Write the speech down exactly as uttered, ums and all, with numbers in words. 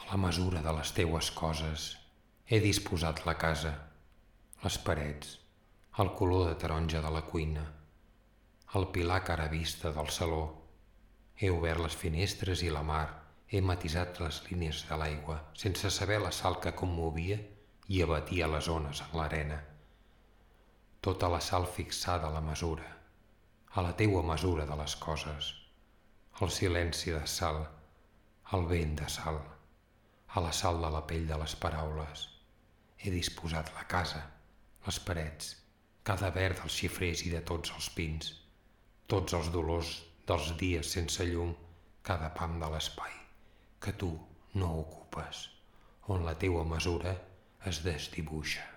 A la mesura de les teues coses he disposat la casa, les parets, el color de taronja de la cuina, el pilar cara vista del saló. He obert les finestres i la mar, he matisat les línies de l'aigua, sense saber la sal que commovia i abatia les ones en l'arena. Tota la sal fixada a la mesura, a la teua mesura de les coses, el silenci de sal, el vent de sal, a la sal de la pell de les paraules. He disposat la casa, les parets, cada verd dels xifrers i de tots els pins, tots els dolors dels dies sense llum, cada pam de l'espai que tu no ocupes, on la teua mesura es desdibuixa.